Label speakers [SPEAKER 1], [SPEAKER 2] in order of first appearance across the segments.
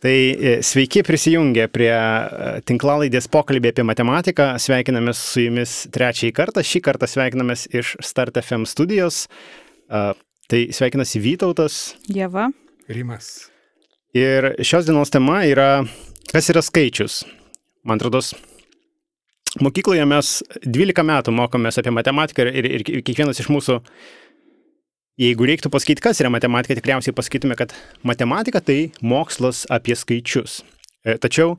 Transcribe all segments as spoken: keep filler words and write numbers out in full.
[SPEAKER 1] Tai sveiki prisijungę prie tinklalaidės pokalbį apie matematiką. Sveikinamės su jumis trečiąjį kartą. Šį kartą sveikinamės iš Start F M studijos. Tai sveikinasi Vytautas.
[SPEAKER 2] Ieva.
[SPEAKER 3] Rimas.
[SPEAKER 1] Ir šios dienos tema yra, kas yra skaičius. Man atrodo, mokykloje mes dvylika metų mokomės apie matematiką ir, ir, ir kiekvienas iš mūsų, jeigu reiktų pasakyti, kas yra matematika, tikriausiai pasakytume, kad matematika tai mokslas apie skaičius. Tačiau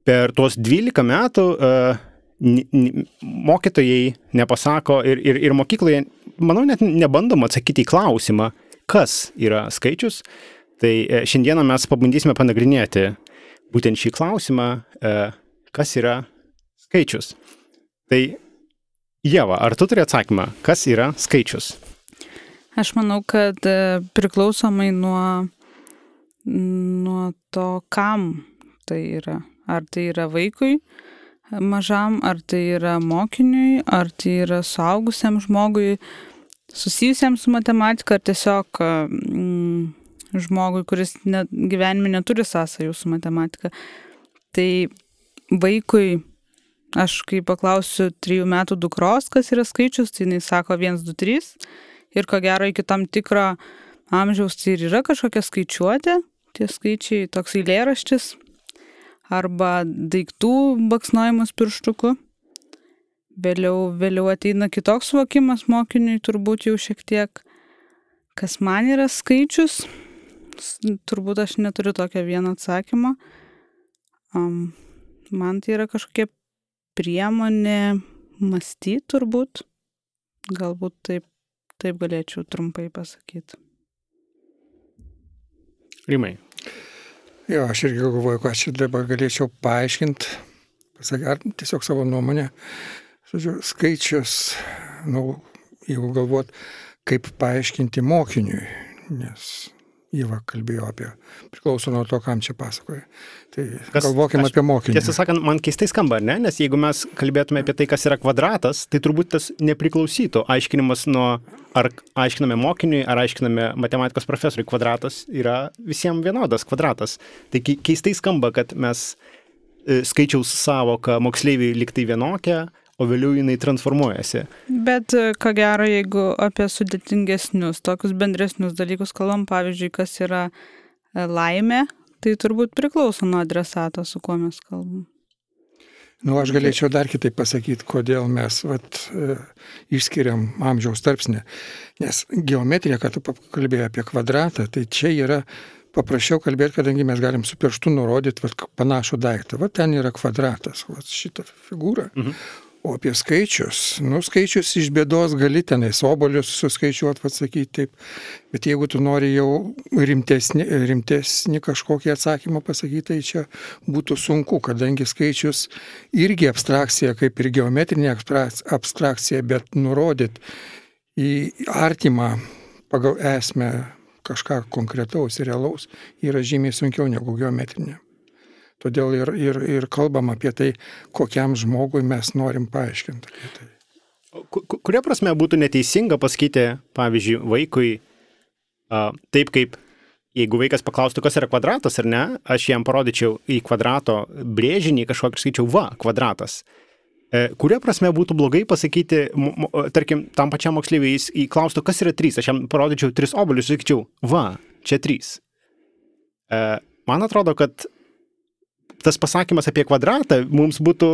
[SPEAKER 1] per tuos dvylika metų uh, n, n, mokytojai nepasako ir, ir, ir mokykloje, manau, net nebandom atsakyti į klausimą, kas yra skaičius. Tai uh, šiandieną mes pabandysime panagrinėti būtent šį klausimą, uh, kas yra skaičius. Tai Ieva, ar tu turi atsakymą, kas yra skaičius?
[SPEAKER 2] Aš manau, kad priklausomai nuo, nuo to, kam tai yra. Ar tai yra vaikui mažam, ar tai yra mokiniui, ar tai yra suaugusiam žmogui, susijusiam su matematika, ar tiesiog mm, žmogui, kuris ne, gyvenime neturi sąsajų su matematika. Tai vaikui, aš kai paklausiu trijų metų dukros, kas yra skaičius, tai jinai sako vienas, du, trys. Ir ko gero iki tam tikro amžiaus tai ir yra kažkokia skaičiuotė, tie skaičiai, toks eilėraštis, arba daiktų baksnojimas pirštuku. Vėliau, vėliau ateina kitoks suvokimas mokiniui, turbūt jau šiek tiek, kas man yra skaičius. Turbūt aš neturiu tokio vieno atsakymo. Um, man tai yra kažkokia priemonė mąstyti turbūt. Galbūt taip. Taip galėčiau trumpai pasakyti.
[SPEAKER 1] Rimai.
[SPEAKER 3] Jo, aš irgi galvoju, ką aš dabar galėčiau paaiškinti, pasakyti, ar tiesiog savo nuomonę. Žodžiu, skaičius, nu, jeigu galvot, kaip paaiškinti mokiniui, nes Ieva kalbėjo apie, priklauso nuo to, kam čia pasakoja. Tai kas, galvokime aš, apie mokinį.
[SPEAKER 1] Tiesą sakant, man keistai skamba, ne? Nes jeigu mes kalbėtume apie tai, kas yra kvadratas, tai turbūt tas nepriklausytų. Aiškinimas nuo, ar aiškiname mokiniui, ar aiškiname matematikos profesoriui, kvadratas yra visiems vienodas kvadratas. Tai keistai skamba, kad mes skaičiaus savoką moksleiviai liktai vienokia, o vėliau jinai transformuojasi.
[SPEAKER 2] Bet ko gero, jeigu apie sudėtingesnius, tokius bendresnius dalykus kalbam, pavyzdžiui, kas yra laimė, tai turbūt priklauso nuo adresato, su kuo mes kalbam.
[SPEAKER 3] Nu, aš galėčiau dar kitaip pasakyti, kodėl mes vat, e, išskiriam amžiaus tarpsnį. Nes geometrija, kad tu kalbėjai apie kvadratą, tai čia yra paprasčiau kalbėti, kadangi mes galim su pirštu nurodyti vat, panašų daiktą. Vat ten yra kvadratas, vat šitą figūrą. Mhm. O apie skaičius, nu skaičius iš bėdos gali tenais obolius suskaičiuoti, atsakyti taip, bet jeigu tu nori jau rimtesnį, rimtesnį kažkokį atsakymą pasakyti, tai čia būtų sunku, kadangi skaičius irgi abstrakcija, kaip ir geometrinė abstrakcija, bet nurodyti į artimą pagal esmę kažką konkretaus ir realaus yra žymiai sunkiau negu geometrinė. Todėl ir, ir, ir kalbam apie tai, kokiam žmogui mes norim paaiškinti apie tai.
[SPEAKER 1] Kuria prasme būtų neteisinga pasakyti, pavyzdžiui, vaikui, a, taip kaip, jeigu vaikas paklaustų, kas yra kvadratas ar ne, aš jam parodyčiau į kvadrato brėžinį kažkokį ir skaičiau, va, kvadratas. E, kuria prasme būtų blogai pasakyti, m, m, tarkim, tam pačiam moksleiviui jis įklaustų, kas yra trys, aš jam parodyčiau tris obuolius ir sakyčiau, va, čia trys. E, man atrodo, kad tas pasakymas apie kvadratą mums būtų,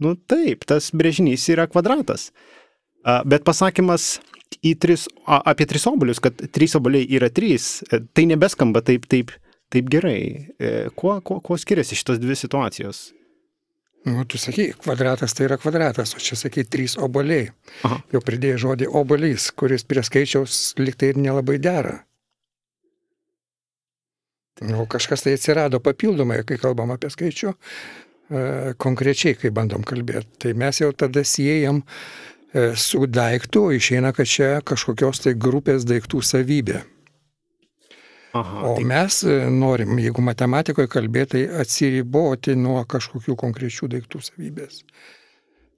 [SPEAKER 1] nu taip, tas brėžinys yra kvadratas. Bet pasakymas į tris, apie tris obuolius, kad trys obuoliai yra trys, tai nebeskamba taip, taip, taip gerai. Kuo, kuo, kuo skiriasi šitos dvi situacijos?
[SPEAKER 3] Nu, tu sakai, kvadratas tai yra kvadratas, o čia sakai trys obuoliai. Aha. Jau pridėjai žodį obuolys, kuris prie skaičiaus liktai ir nelabai dera. Nu, kažkas tai atsirado papildomai, kai kalbam apie skaičių, e, konkrečiai, kai bandom kalbėti. Tai mes jau tada siejam e, su daiktu, išeina, kad čia kažkokios tai grupės daiktų savybė. Aha, o tai... mes norim, jeigu matematikoje kalbėti, tai atsiriboti nuo kažkokių konkrečių daiktų savybės.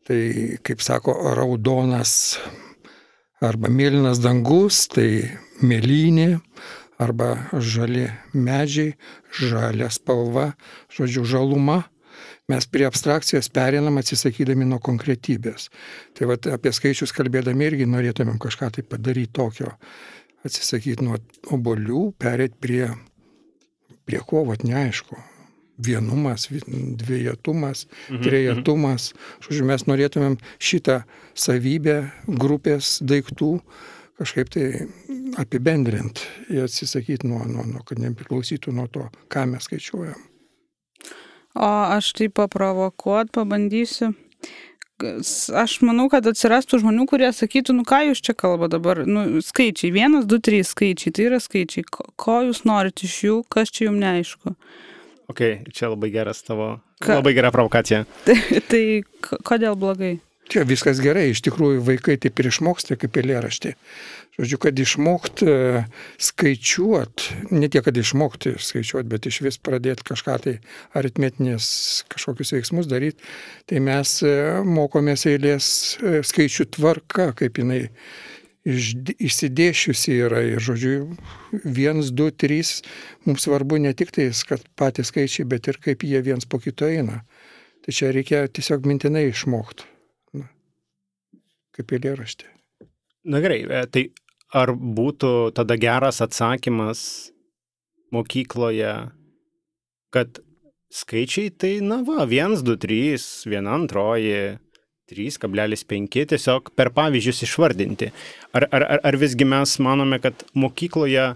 [SPEAKER 3] Tai, kaip sako, raudonas arba mėlynas dangus, tai mėlynė, arba žali medžiai, žalia spalva, žodžiu, žaluma. Mes prie abstrakcijos pereinam atsisakydami nuo konkretybės. Tai vat, apie skaičius kalbėdami irgi norėtumėm kažką tai padaryti tokio. Atsisakyti nuo obuolių, perėti prie, prie ko, vat neaišku. Vienumas, dviejetumas, mhm, trejetumas. Žodžiu, mes norėtumėm šitą savybę grupės daiktų kažkaip tai apibendrinti ir atsisakyti nuo, nuo, nuo kad nepriklausytų nuo to, ką mes skaičiuojam.
[SPEAKER 2] O aš tai paprovokuot pabandysiu. Aš manau, kad atsirastų žmonių, kurie sakytų, nu ką jūs čia kalba dabar, nu skaičiai, vienas, du, trys skaičiai, tai yra skaičiai, ko jūs norite iš jų, kas čia jums neaišku.
[SPEAKER 1] Ok, čia labai geras tavo,
[SPEAKER 2] Ka...
[SPEAKER 1] labai gera provokacija.
[SPEAKER 2] Tai, tai kodėl blogai?
[SPEAKER 3] Čia viskas gerai, iš tikrųjų vaikai taip ir išmoksta kaip eilėraštį. Žodžiu, kad išmokt skaičiuot, ne tiek, kad išmokti skaičiuot, bet iš vis pradėti kažką tai aritmetinės kažkokius veiksmus daryti, tai mes mokomės eilės skaičių tvarka, kaip jinai išsidėšiusi yra. Ir žodžiu, vienas, du, trys, mums svarbu ne tik tai, kad patys skaičiai, bet ir kaip jie viens po kito eina. Tai čia reikia tiesiog mintinai išmokti. Kaip eilėraštį.
[SPEAKER 1] Na gerai, tai ar būtų tada geras atsakymas mokykloje, kad skaičiai tai, na va, vienas, du, trys, viena antroji, trys kablelis penki, tiesiog per pavyzdžius išvardinti. Ar, ar, ar visgi mes manome, kad mokykloje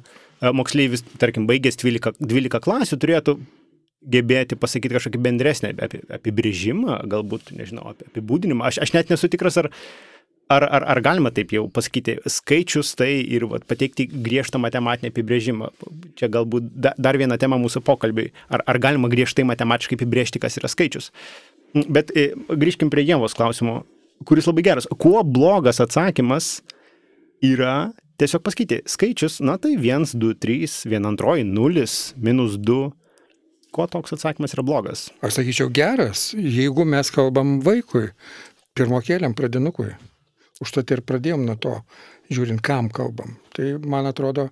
[SPEAKER 1] moksleivis, tarkim, baigęs dvylika klasių, turėtų gebėti pasakyti kažkokį bendresnį apibrėžimą, galbūt, nežinau, apibūdinimą. Aš, aš net nesu tikras, ar Ar, ar, ar galima taip jau pasakyti skaičius tai ir vat, pateikti griežtą matematinį apibrėžimą? Čia galbūt da, dar viena tema mūsų pokalbiai. Ar, ar galima griežtai matematiškai apibrėžti, kas yra skaičius? Bet e, grįžkim prie Ievos klausimo, kuris labai geras. Kuo blogas atsakymas yra tiesiog pasakyti skaičius, na tai vienas, du, trys, viena antroji, nulis, minus du. Kuo toks atsakymas yra blogas?
[SPEAKER 3] Aš sakyčiau geras, jeigu mes kalbam vaikui, pirmokėliam pradinukui. Užtat ir pradėjom nuo to, žiūrint, kam kalbam. Tai, man atrodo,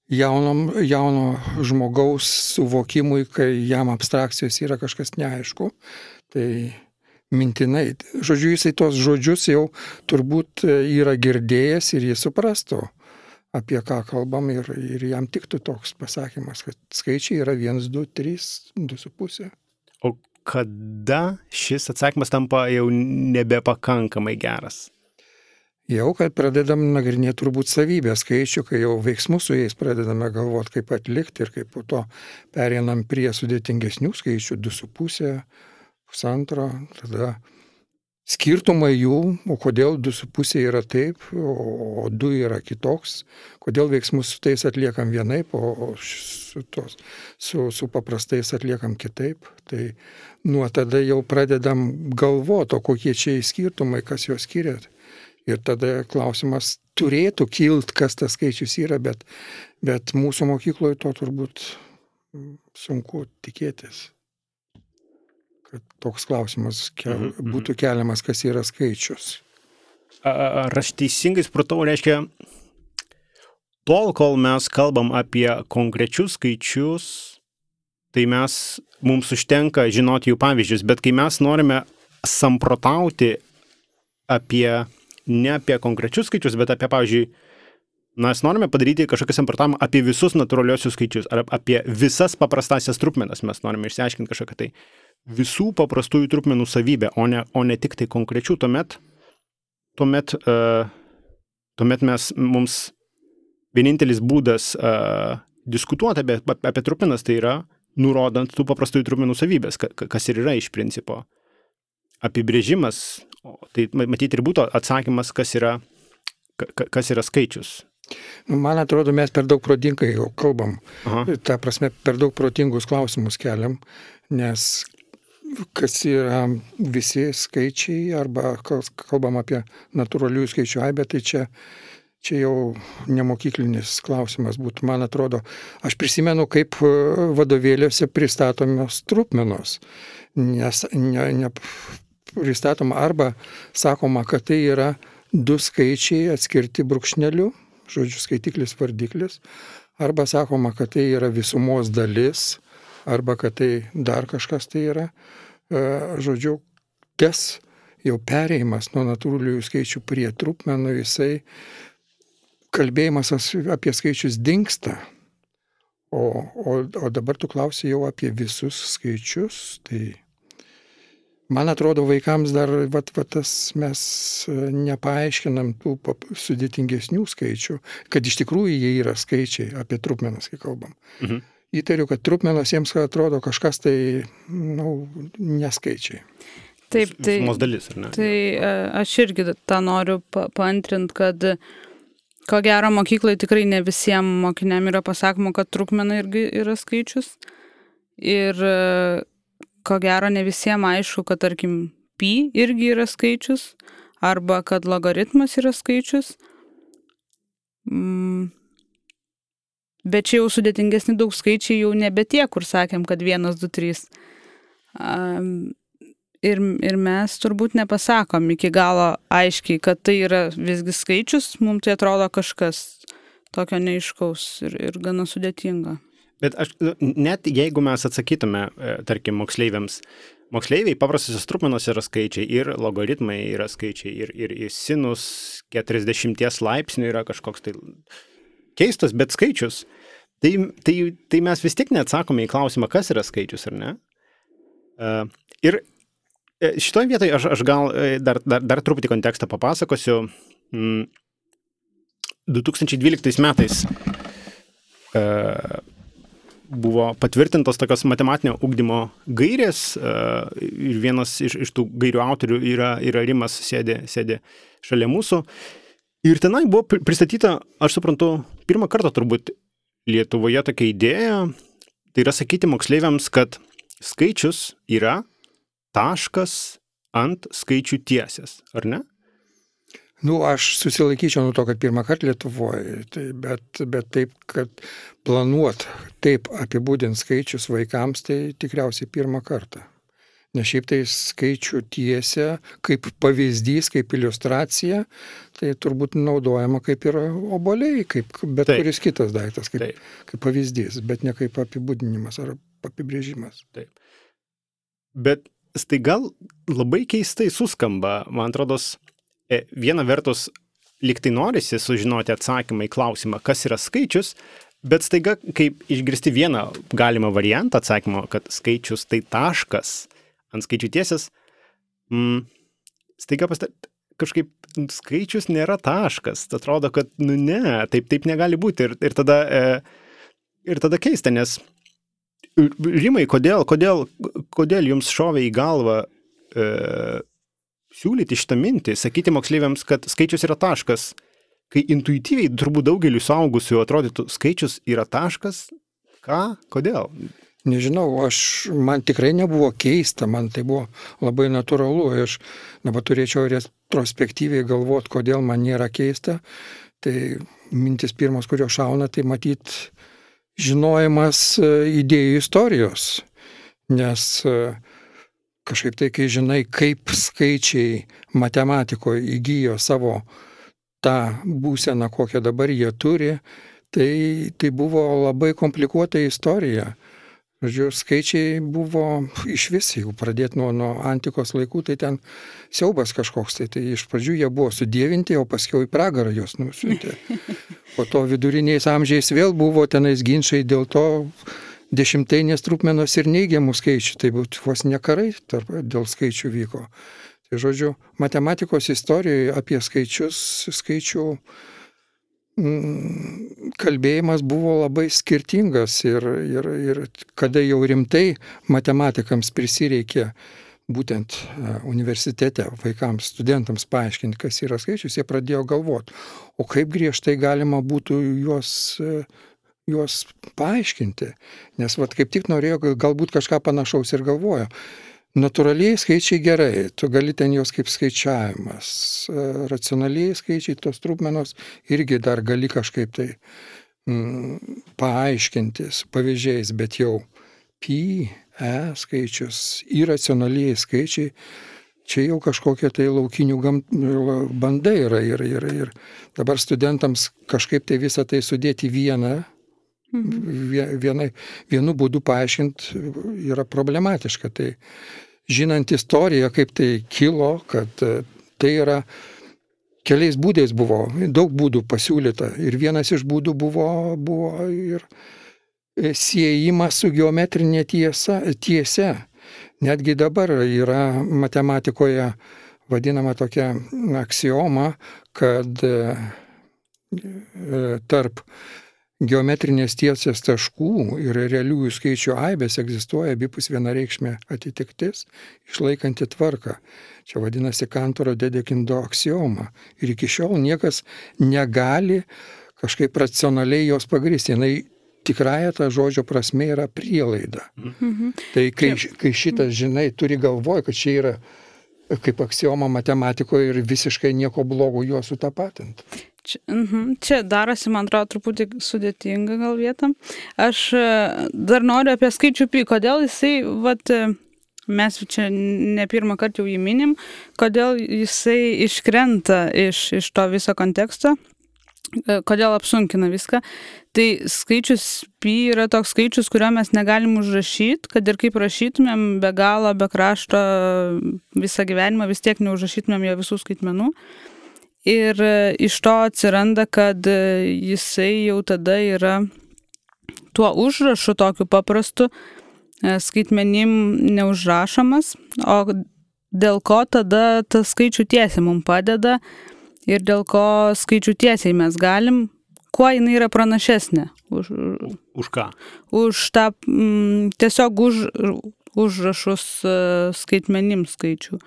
[SPEAKER 3] jaunom, jauno žmogaus suvokimui, kai jam abstrakcijos yra kažkas neaišku, tai mintinai. Žodžiu, jisai tos žodžius jau turbūt yra girdėjęs ir jis suprastų, apie ką kalbam ir, ir jam tiktų toks pasakymas, kad skaičiai yra vienas, du, trys, du su pusė.
[SPEAKER 1] O kada šis atsakymas tampa jau nebepakankamai geras?
[SPEAKER 3] Jau, kad pradedam nagrinėti turbūt savybę skaičių, kai jau veiksmus su jais pradedame galvoti, kaip atlikti ir kaip po to pereinam prie sudėtingesnių skaičių, du su pusė, pusantro, tada skirtumai jų, o kodėl du su pusė yra taip, o du yra kitoks, kodėl veiksmus su tais atliekam vienaip, o su, tos, su, su paprastais atliekam kitaip. Tai nuo tada jau pradedam galvoti, o kokie čia skirtumai, kas juos skiria. Ir tada klausimas turėtų kilt, kas tas skaičius yra, bet, bet mūsų mokykloje to turbūt sunku tikėtis, kad toks klausimas kel, mm-hmm. būtų keliamas, kas yra skaičius.
[SPEAKER 1] Ar aš teisingai supratau, reiškia, tol, kol mes kalbam apie konkrečius skaičius, tai mes, mums užtenka žinoti jų pavyzdžius, bet kai mes norime samprotauti apie ne apie konkrečius skaičius, bet apie, pavyzdžiui, mes norime padaryti kažkokį samprotavimą apie visus natūraliosius skaičius, ar apie visas paprastasias trupmenas mes norime išsiaiškinti kažkokią tai visų paprastųjų trupmenų savybę, o ne, o ne tik tai konkrečių. Tuomet, tuomet, uh, tuomet mes, mums vienintelis būdas uh, diskutuoti apie, apie trupmenas, tai yra nurodant tų paprastųjų trupmenų savybės, kas ir yra iš principo apibrėžimas. Tai matyti ir būtų atsakymas, kas yra, kas yra skaičius.
[SPEAKER 3] Man atrodo, mes per daug protingai jau kalbam.
[SPEAKER 1] Aha.
[SPEAKER 3] Ta prasme, per daug protingus klausimus keliam, nes kas yra visi skaičiai, arba kalbam apie natūralių skaičių aibę, tai čia, čia jau nemokyklinis klausimas būtų. Man atrodo, aš prisimenu, kaip vadovėliuose pristatomios trupmenos, nes ne, ne pristatoma arba sakoma, kad tai yra du skaičiai atskirti brūkšneliu, žodžiu, skaitiklis, vardiklis, arba sakoma, kad tai yra visumos dalis, arba kad tai dar kažkas tai yra. Žodžiu, tas jau perėjimas nuo natūraliųjų skaičių prie trupmenų, jisai kalbėjimas apie skaičius dingsta. O, o, o dabar tu klausi jau apie visus skaičius, tai man atrodo, vaikams dar vat, vat, tas mes nepaaiškinam tų sudėtingesnių skaičių, kad iš tikrųjų jie yra skaičiai, apie trupmenas, kai kalbam. Mhm. Įtariu, kad trupmenas jiems atrodo kažkas tai, nu, neskaičiai.
[SPEAKER 2] Taip, tai,
[SPEAKER 1] dalis, ar ne?
[SPEAKER 2] Tai aš irgi tą noriu pa, paantrinti, kad ko gero mokyklai tikrai ne visiems mokiniam yra pasakoma, kad trupmena irgi yra skaičius. Ir ko gero ne visiems aišku, kad tarkim pi irgi yra skaičius, arba kad logaritmas yra skaičius. Mm. Bet čia jau sudėtingesni daug skaičiai jau nebe tie, kur sakėm, kad vienas, du, trys. Um, ir, ir mes turbūt nepasakom iki galo aiškiai, kad tai yra visgi skaičius, mums tai atrodo kažkas tokio neaiškaus ir, ir gana sudėtinga.
[SPEAKER 1] Bet aš, net jeigu mes atsakytume, tarkim, moksleiviams, moksleiviai paprastosios trupmenos yra skaičiai ir logaritmai yra skaičiai ir, ir, ir sinus keturiasdešimties laipsnių yra kažkoks tai keistas, bet skaičius, tai, tai, tai mes vis tiek neatsakome į klausimą, kas yra skaičius, ar ne? Uh, ir šitoje vietoje aš, aš gal dar, dar, dar truputį kontekstą papasakosiu. Mm, du tūkstančiai dvyliktais metais uh, buvo patvirtintos tokios matematinio ugdymo gairės uh, ir vienas iš, iš tų gairių autorių yra, yra Rimas, sėdė, sėdė šalia mūsų. Ir tenai buvo pristatyta, aš suprantu, pirmą kartą turbūt Lietuvoje tokia idėja, tai yra sakyti moksleiviams, kad skaičius yra taškas ant skaičių tiesės, ar ne?
[SPEAKER 3] Nu, aš susilaikyčiau nuo to, kad pirmą kartą Lietuvoje, tai, bet, bet taip, kad planuot taip apibūdint skaičius vaikams, tai tikriausiai pirmą kartą. Nes šiaip tai skaičių tiesė, kaip pavyzdys, kaip iliustracija, tai turbūt naudojama kaip ir obuoliai, kaip bet Taip. Kuris kitas daiktas, kaip, kaip pavyzdys, bet ne kaip apibūdinimas ar apibrėžimas.
[SPEAKER 1] Taip. Bet staiga labai keistai suskamba, man atrodos, viena vertus liktai norisi sužinoti atsakymą į klausimą, kas yra skaičius, bet staiga, kaip išgirsti vieną galimą variantą atsakymo, kad skaičius tai taškas ant skaičių tiesės, mm, staiga pastat, kažkaip skaičius nėra taškas. Atrodo, kad nu ne, taip, taip negali būti. Ir, ir, tada, e, ir tada keista, nes Rimai, kodėl, kodėl, kodėl jums šovė į galvą e, siūlyti šitą mintį, sakyti moksleiviams, kad skaičius yra taškas, kai intuityviai turbūt daugeliu suaugusių atrodytų, skaičius yra taškas, ką, kodėl?
[SPEAKER 3] Nežinau, aš, man tikrai nebuvo keista, man tai buvo labai natūralu, aš dabar turėčiau retrospektyviai galvoti, kodėl man nėra keista, tai mintis pirmos, kurio šauna, tai matyt žinojimas idėjų istorijos, nes kažkaip tai, kai žinai, kaip skaičiai matematikoje įgyjo savo tą būseną, kokią dabar jie turi, tai, tai buvo labai komplikuota istorija. Žodžiu, skaičiai buvo iš vis, jeigu pradėti nuo, nuo antikos laikų, tai ten siaubas kažkoks. Tai, tai iš pradžių jie buvo sudievinti, o paskiau į pragarą jos nusiuntė. Po to viduriniais amžiais vėl buvo tenais ginčai dėl to dešimtainės trupmenos ir neigiamų skaičių. Tai būtų vos ne karai tarp, dėl skaičių vyko. Tai žodžiu, matematikos istorijoje apie skaičius, skaičių kalbėjimas buvo labai skirtingas ir, ir, ir kada jau rimtai matematikams prisireikė būtent universitete vaikams, studentams paaiškinti, kas yra skaičius, jie pradėjo galvoti, o kaip griežtai galima būtų juos, juos paaiškinti. Nes vat, kaip tik norėjo galbūt kažką panašaus ir galvojo. Natūraliai skaičiai gerai, tu gali ten jos kaip skaičiavimas. Racionaliai skaičiai, tos trupmenos irgi dar gali kažkaip tai mm, paaiškinti su pavyzdžiais, bet jau pi, e skaičius, iracionaliai skaičiai, čia jau kažkokie tai laukinių gam, bandai yra ir, ir, ir dabar studentams kažkaip tai visą tai sudėti vieną vienai, vienu būdu paaiškinti yra problematiška. Tai žinant istoriją, kaip tai kilo, kad tai yra keliais būdais buvo, daug būdų pasiūlyta. Ir vienas iš būdų buvo, buvo ir siejimas su geometrinė tiesa, tiesia. Netgi dabar yra matematikoje vadinama tokia aksioma, kad tarp geometrinės tiesės taškų ir realiųjų skaičių aibės egzistuoja abipus vienareikšmė atitiktis, išlaikanti tvarką. Čia vadinasi Kantoro Dedekindo aksioma. Ir iki šiol niekas negali kažkaip racionaliai jos pagristi. Jinai tikrąja ta žodžio prasme yra prielaida. Mhm. Tai kai, kai šitas, žinai, turi galvoj, kad čia yra kaip aksioma matematikoje ir visiškai nieko blogo juos sutapatinti.
[SPEAKER 2] Čia, uh-huh. čia darosi, man atrodo, truputį sudėtinga gal vietam. Aš dar noriu apie skaičių pi. Kodėl jisai, vat, mes čia ne pirmą kartą jau jį minim, kodėl jisai iškrenta iš, iš to viso konteksto, kodėl apsunkina viską. Tai skaičius pi yra toks skaičius, kurio mes negalim užrašyti, kad ir kaip rašytumėm be galo, be krašto visą gyvenimą, vis tiek neužrašytumėm jo visų skaitmenų. Ir iš to atsiranda, kad jisai jau tada yra tuo užrašu tokiu paprastu skaitmenim neužrašomas, o dėl ko tada tas skaičių tiesiai mums padeda ir dėl ko skaičių tiesiai mes galim, kuo jinai yra pranašesnė. Už,
[SPEAKER 1] už ką?
[SPEAKER 2] Už tą m, tiesiog už, užrašus skaitmenim skaičių.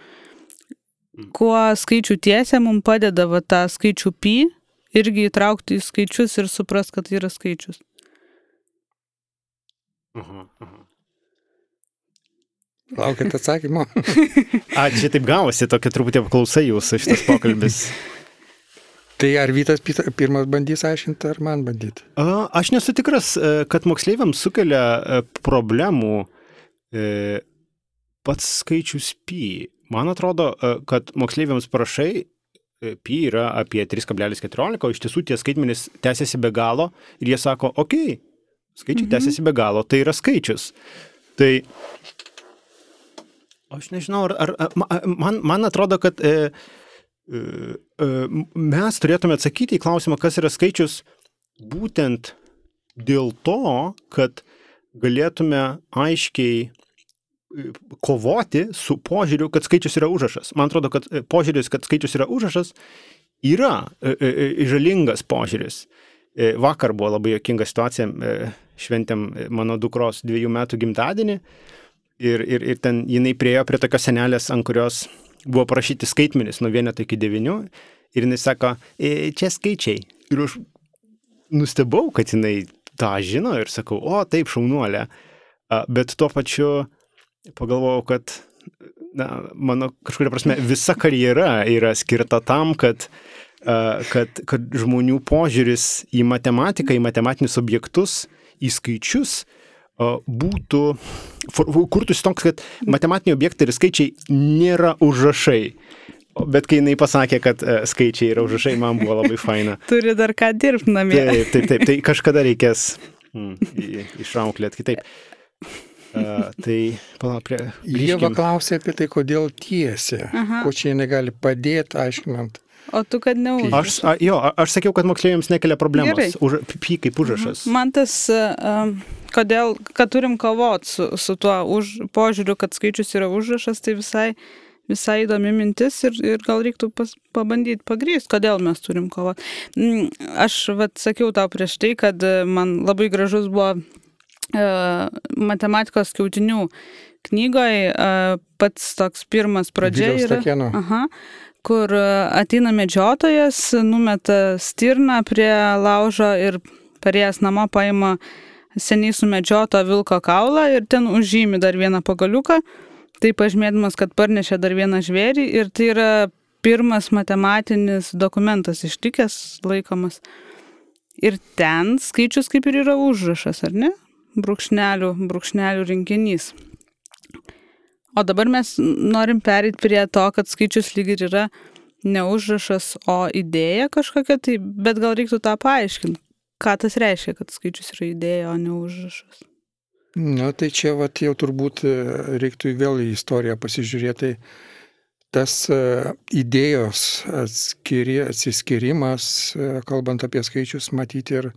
[SPEAKER 2] Kuo skaičių tiesė mums padeda va, tą skaičių pi irgi įtraukti į skaičius ir suprast, kad tai yra skaičius.
[SPEAKER 1] Aha, aha.
[SPEAKER 3] Laukit atsakymo.
[SPEAKER 1] A, čia taip gavosi, tokia truputį apklausa jūsų šitas pokalbis.
[SPEAKER 3] Tai ar Vytas pirmas bandys aiškinti, ar man bandyti?
[SPEAKER 1] A, aš nesu tikras, kad moksleiviams sukelia problemų pats skaičius pi. Man atrodo, kad moksleiviams parašai pi yra apie trys kablelis keturiolika, o iš tiesų tie skaitmenys tęsiasi be galo ir jie sako, okei, okay, skaičiai mhm. tęsiasi be galo, tai yra skaičius. Tai aš nežinau, ar, ar, man, man atrodo, kad e, e, mes turėtume atsakyti į klausimą, kas yra skaičius, būtent dėl to, kad galėtume aiškiai kovoti su požiūriu, kad skaičius yra užrašas. Man atrodo, kad požiūris, kad skaičius yra užrašas, yra žalingas požiūris. Vakar buvo labai juokinga situacija, šventėm mano dukros dviejų metų gimtadienį ir, ir, ir ten jinai priėjo prie tokios senelės, ant kurios buvo parašyti skaitmenys nuo vieneto iki devynių ir jinai sako, čia skaičiai. Ir aš nustebau, kad jinai tą žino ir sakau, o taip šaunuolė. Bet tuo pačiu pagalvojau, kad na, mano kažkuria prasme visa karjera yra skirta tam, kad, kad, kad žmonių požiūris į matematiką, į matematinius objektus, į skaičius būtų, kurtųsi toks, kad matematiniai objektai ir skaičiai nėra užrašai. Bet kai jinai pasakė, kad skaičiai yra užrašai, man buvo labai faina.
[SPEAKER 2] Turi dar ką dirbti namie.
[SPEAKER 1] Taip, taip, taip, tai kažkada reikės mm, išrauklėti kitaip. Uh, tai, pala, prie...
[SPEAKER 3] Ieva klausė apie tai, kodėl tiesia. Aha. Ko čia jinai gali padėti, aiškinant.
[SPEAKER 2] O tu, kad ne užrašas.
[SPEAKER 1] Aš, a, jo, aš sakiau, kad moksleiviams nekelia problemos. Už, pi kaip užrašas.
[SPEAKER 2] Man tas, uh, kodėl, kad turim kovoti su, su tuo už, požiūriu, kad skaičius yra užrašas, tai visai, visai įdomi mintis ir, ir gal reiktų pas, pabandyti pagrįsti, kodėl mes turim kovoti. Aš vat, sakiau tau prieš tai, kad man labai gražus buvo matematikos skiautinių knygoje pats toks pirmas pradžia yra, aha, kur ateina medžiotojas, numeta stirną prie laužo ir parėjęs namo paima seniai sumedžioto vilko kaulą ir ten užžymi dar vieną pagaliuką, tai pažymėdamas, kad parnešė dar vieną žvėrį ir tai yra pirmas matematinis dokumentas ištikęs laikomas. Ir ten skaičius kaip ir yra užrašas, ar ne? Brūkšnelių, brūkšnelių rinkinys. O dabar mes norim pereiti prie to, kad skaičius lyg ir yra ne užrašas, o idėja kažkokia, tai, bet gal reiktų tą paaiškinti. ką tas reiškia, kad skaičius yra idėja, o ne užrašas?
[SPEAKER 3] Na, tai čia vat, jau turbūt reiktų vėl į istoriją pasižiūrėti. Tas idėjos atskiri, atsiskirimas, kalbant apie skaičius, matyti ir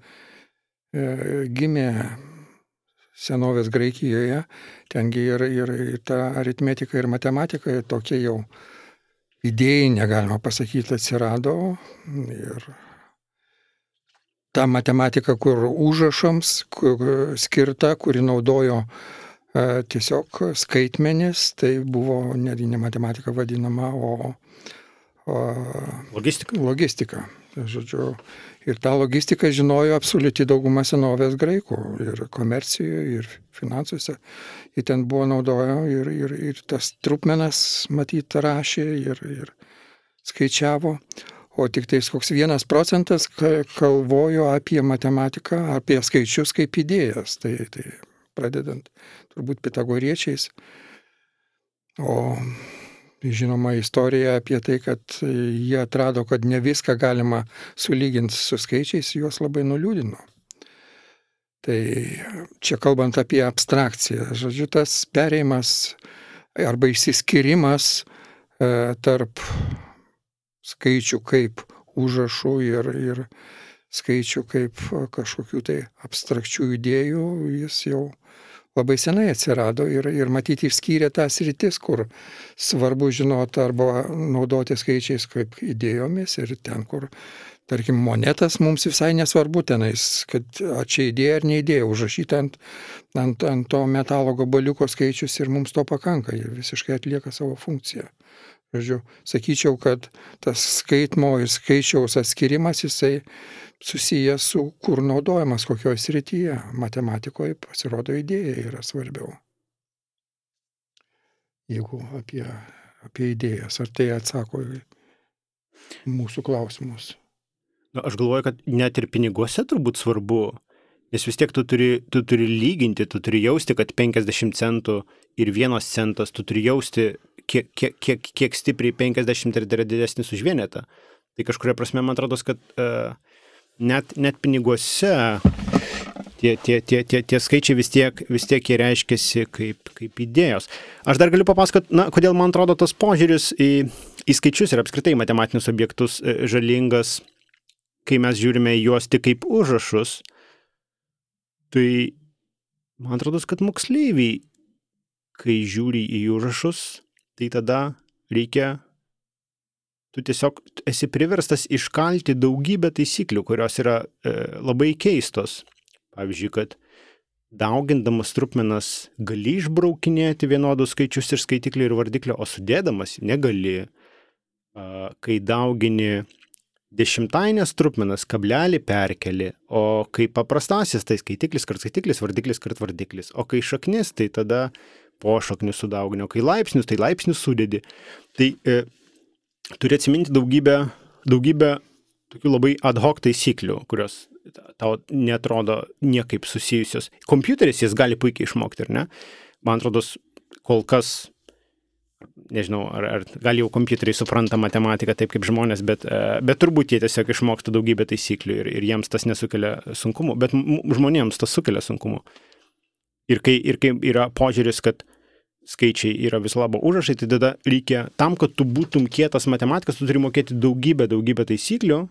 [SPEAKER 3] gimė senovės Graikijoje. Tengi ir, ir, ir ta aritmetika ir matematika tokie jau idėjinė, galima pasakyti, atsirado. Ir ta matematika, kur užrašams kur skirta, kuri naudojo e, tiesiog skaitmenis, tai buvo netgi ne matematika vadinama, o, o
[SPEAKER 1] logistika.
[SPEAKER 3] logistika. Žodžiu, ir tą logistiką žinojo absoliuti dauguma senovės graikų ir komercijoje, ir finansuose. Ir ten buvo naudojo ir, ir, ir tas trupmenas, matyt, rašė ir, ir skaičiavo. O tik tais koks vienas procentas kalvojo apie matematiką, apie skaičius kaip idėjas. Tai, tai pradedant turbūt pitagoriečiais. O žinoma istorija apie tai, kad jie atrado, kad ne viską galima sulyginti su skaičiais, juos labai nuliūdino. Tai čia kalbant apie abstrakciją, žodžiu, tas perėjimas arba išsiskirimas e, tarp skaičių kaip užrašų ir, ir skaičių kaip kažkokių tai abstrakčių idėjų, jis jau labai senai atsirado ir, ir matyti išskyrė tas rytis, kur svarbu žinoti arba naudoti skaičiais kaip idėjomis ir ten, kur, tarkim, monetas mums visai nesvarbu tenais, kad čia idėja ar neidėja, užrašyti ant, ant, ant to metalo gabaliuko skaičius ir mums to pakanka, jie visiškai atlieka savo funkciją. Žodžiu, sakyčiau, kad tas skaitmo ir skaičiaus atskirimas, jisai susijęs su kur naudojamas, kokioje srityje. Matematikoje pasirodo idėja yra svarbiau. Jeigu apie, apie idėjas, ar tai atsako į mūsų klausimus?
[SPEAKER 1] Na, aš galvoju, kad net ir piniguose turbūt svarbu, nes vis tiek tu turi, tu turi lyginti, tu turi jausti, kad penkiasdešimt centų ir vienas centas, tu turi jausti, kiek, kiek, kiek, kiek stipriai penkiasdešimt yra didesnis už vienetą. Tai kažkuria prasme, man atrodo, kad uh, net, net piniguose tie, tie, tie, tie, tie skaičiai vis tiek, vis tiek jie reiškiasi kaip, kaip idėjos. Aš dar galiu papasakoti, na, kodėl man atrodo tas požiūris į, į skaičius ir apskritai matematinius objektus žalingas, kai mes žiūrime juos tik kaip užrašus. Tai man atrodo, kad moksleiviai, kai žiūri į užrašus, tai tada reikia, tu tiesiog esi priverstas iškalti daugybę taisyklių, kurios yra e, labai keistos. Pavyzdžiui, kad daugindamas trupmenas gali išbraukinėti vienodus skaičius ir skaitiklį ir vardiklį, o sudėdamas negali. A, kai daugini dešimtainės trupmenas, kablelį perkeli, o kai paprastasis, tai skaitiklis kart skaitiklis, vardiklis kart vardiklis. O kai šaknis, tai tada pošaknius sudaugini, o kai laipsnius, tai laipsnius sudedi. Tai e, turi atsiminti daugybę, daugybę tokių labai ad hoc taisyklių, kurios tau netrodo niekaip susijusios. Kompiuteris jis gali puikiai išmokti, ar ne? Man atrodo, kol kas, nežinau, ar, ar gal jau kompiuteriai supranta matematiką taip kaip žmonės, bet, bet turbūt jie tiesiog išmoksta daugybę taisyklių ir, ir jiems tas nesukelia sunkumų, bet žmonėms tas sukelia sunkumų. Ir kai, ir kai yra požiūris, kad skaičiai yra viso labo užrašai, tai tada reikia, tam, kad tu būtum kietas matematikas, tu turi mokėti daugybę, daugybę taisyklių,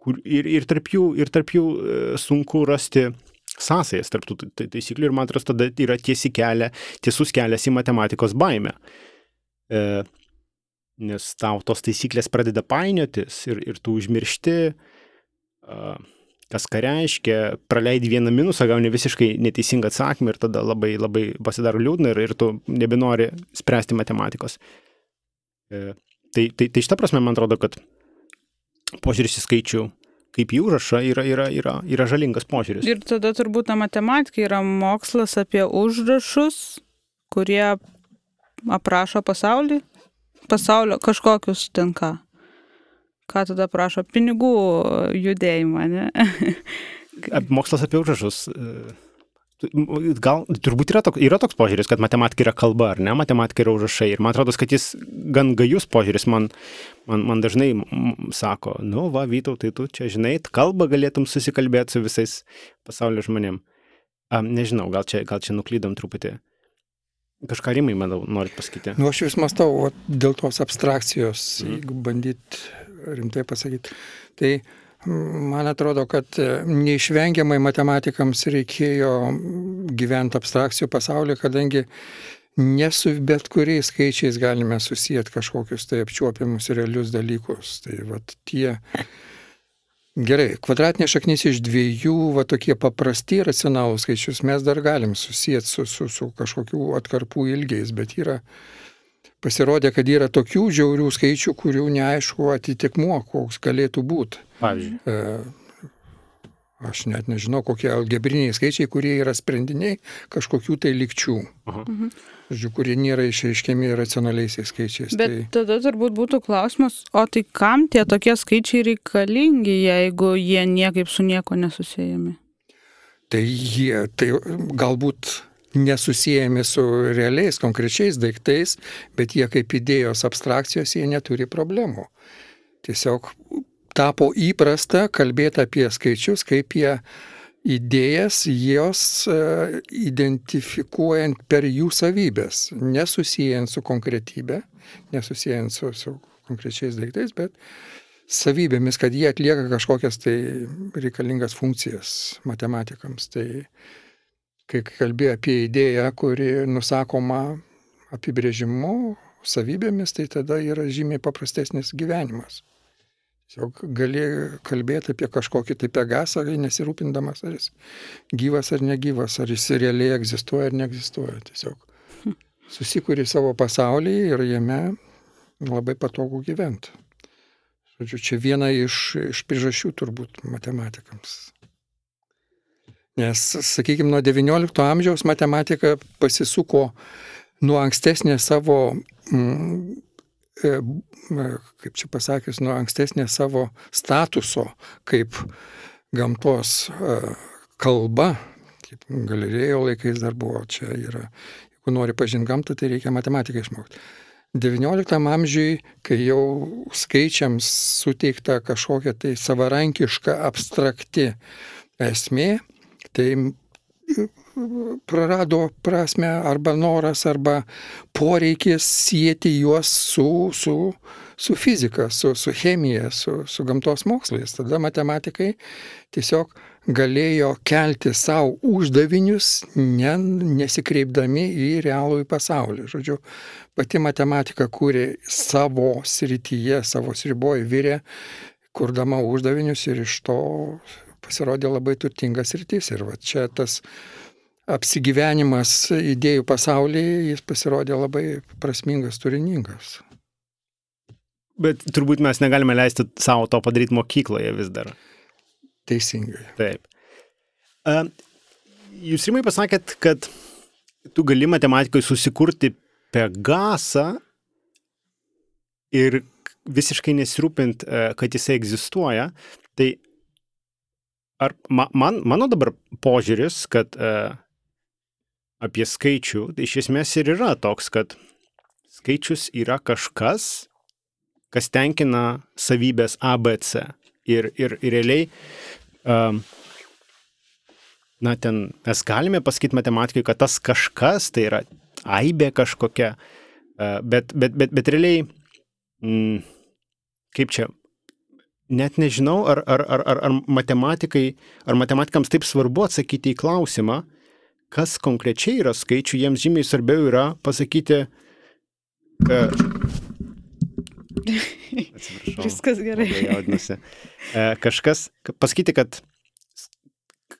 [SPEAKER 1] kur ir, ir tarp jų, ir tarp jų sunku rasti sąsajas tarp tų taisyklių ir man atrodo, tada yra tiesi kelia, tiesus kelias į matematikos baimę. E, nes tau tos taisyklės pradeda painiotis ir, ir tu užmiršti, a, kas ką reiškia, praleidi vieną minusą, gauni visiškai neteisingą atsakymą ir tada labai, labai pasidaro liūdna ir, ir tu nebenori spręsti matematikos. E, tai, tai, tai šitą prasme, man atrodo, kad požiūris į skaičių kaip į užrašą yra, yra, yra, yra žalingas požiūris. Ir
[SPEAKER 2] tada turbūt ta matematika yra mokslas apie užrašus, kurie aprašo pasaulį, pasaulio kažkokius ten ką. Ką tada prašo? Pinigų judėjimą, ne?
[SPEAKER 1] Mokslas apie užrašus. Gal, turbūt yra toks, yra toks požiūris, kad matematika yra kalba, ar ne? Matematika yra užrašai. Ir man atrodo, kad jis gan gajus požiūris. Man, Man, man dažnai sako, nu va, Vytautai, tu čia žinai, kalbą galėtum susikalbėti su visais pasaulio žmonėm. Um, nežinau, gal čia, gal čia nuklydom truputį. Kažką Rimai, manau, norit pasakyti.
[SPEAKER 3] Nu, aš vis mąstau, o, dėl tos abstrakcijos, mm. jeigu bandyt rimtai pasakyti. Tai man atrodo, kad neišvengiamai matematikams reikėjo gyventi abstrakcijų pasaulyje, kadangi ne su bet kuriais skaičiais galime susijęti kažkokius tai apčiuopiamus realius dalykus. Tai vat tie... Gerai, kvadratinė šaknis iš dviejų, va tokie paprasti racionalūs skaičius mes dar galim susijęti su, su, su kažkokių atkarpų ilgiais, bet yra, pasirodė, kad yra tokių žiaurių skaičių, kurių neaišku atitikmuo, koks galėtų būti.
[SPEAKER 1] Pavyzdžiui.
[SPEAKER 3] E, aš net nežinau, kokie algebriniai skaičiai, kurie yra sprendiniai kažkokių tai lygčių. Aha. Mhm. Žodžiu, kurie nėra išreiškiami racionaliaisiais skaičiais.
[SPEAKER 2] Bet
[SPEAKER 3] tai...
[SPEAKER 2] tada turbūt būtų klausimas, o tai kam tie tokie skaičiai reikalingi, jeigu jie niekaip su nieko nesusijami?
[SPEAKER 3] Tai jie, tai galbūt nesusijami su realiais, konkrečiais daiktais, bet jie kaip idėjos abstrakcijos, jie neturi problemų. Tiesiog tapo įprasta kalbėti apie skaičius, kaip jie idėjas, jos uh, identifikuojant per jų savybės, nesusijęs su konkretybė, nesusijęs su, su konkrečiais daiktais, bet savybėmis, kad jie atlieka kažkokias tai reikalingas funkcijas matematikams. Tai kai kalbėjo apie idėją, kuri nusakoma apibrėžimu, savybėmis, tai tada yra žymiai paprastesnis gyvenimas. Tiesiog gali kalbėti apie kažkokį tai Pegasą, nesirūpindamas, ar jis gyvas ar negyvas, ar jis realiai egzistuoja ar neegzistuoja. Tiesiog susikuri savo pasaulį ir jame labai patogu gyventi. Žodžiu, čia viena iš, iš priežasčių turbūt matematikams. Nes, sakykime, nuo devyniolikto amžiaus matematika pasisuko nuo ankstesnės savo... Mm, kaip čia pasakius, nuo ankstesnės savo statuso kaip gamtos kalba, kaip Galilėjo laikais dar buvo, čia yra, jeigu nori pažinti gamtą, tai reikia matematiką išmokti. devynioliktam amžiui, kai jau skaičiams suteikta kažkokia tai savarankiška abstrakti esmė, tai prarado prasme arba noras, arba poreikis sieti juos su, su, su fizika, su, su chemija, su, su gamtos mokslais. Tada matematikai tiesiog galėjo kelti savo uždavinius, ne, nesikreipdami į realųjį pasaulį. Žodžiu, pati matematika kūrė savo srityje, savo sriboje virė, kurdama uždavinius ir iš to pasirodė labai turtingas sritis. Ir va čia tas apsigyvenimas idėjų pasaulyje, jis pasirodė labai prasmingas, turiningas.
[SPEAKER 1] Bet turbūt mes negalime leisti savo to padaryti mokykloje vis dar.
[SPEAKER 3] Teisingai.
[SPEAKER 1] Taip. Jūs, Rimai, pasakėt, kad tu gali matematikoje susikurti Pegasą ir visiškai nesirūpint, kad jisai egzistuoja. Tai ar man, mano dabar požiūris, kad apie skaičių, tai iš esmės ir yra toks, kad skaičius yra kažkas, kas tenkina savybės A, B, C. Ir, ir, ir realiai, um, na, ten mes galime pasakyti matematikai, kad tas kažkas, tai yra aibė kažkokia, uh, bet, bet, bet, bet realiai, mm, kaip čia, net nežinau, ar, ar, ar, ar, ar matematikai, ar matematikams taip svarbu atsakyti į klausimą, kas konkrečiai yra skaičių, jiems žymiai svarbiau yra pasakyti, uh, atsiprašau.
[SPEAKER 2] Viskas gerai.
[SPEAKER 1] Jaudinasi. Kažkas, pasakyti, kad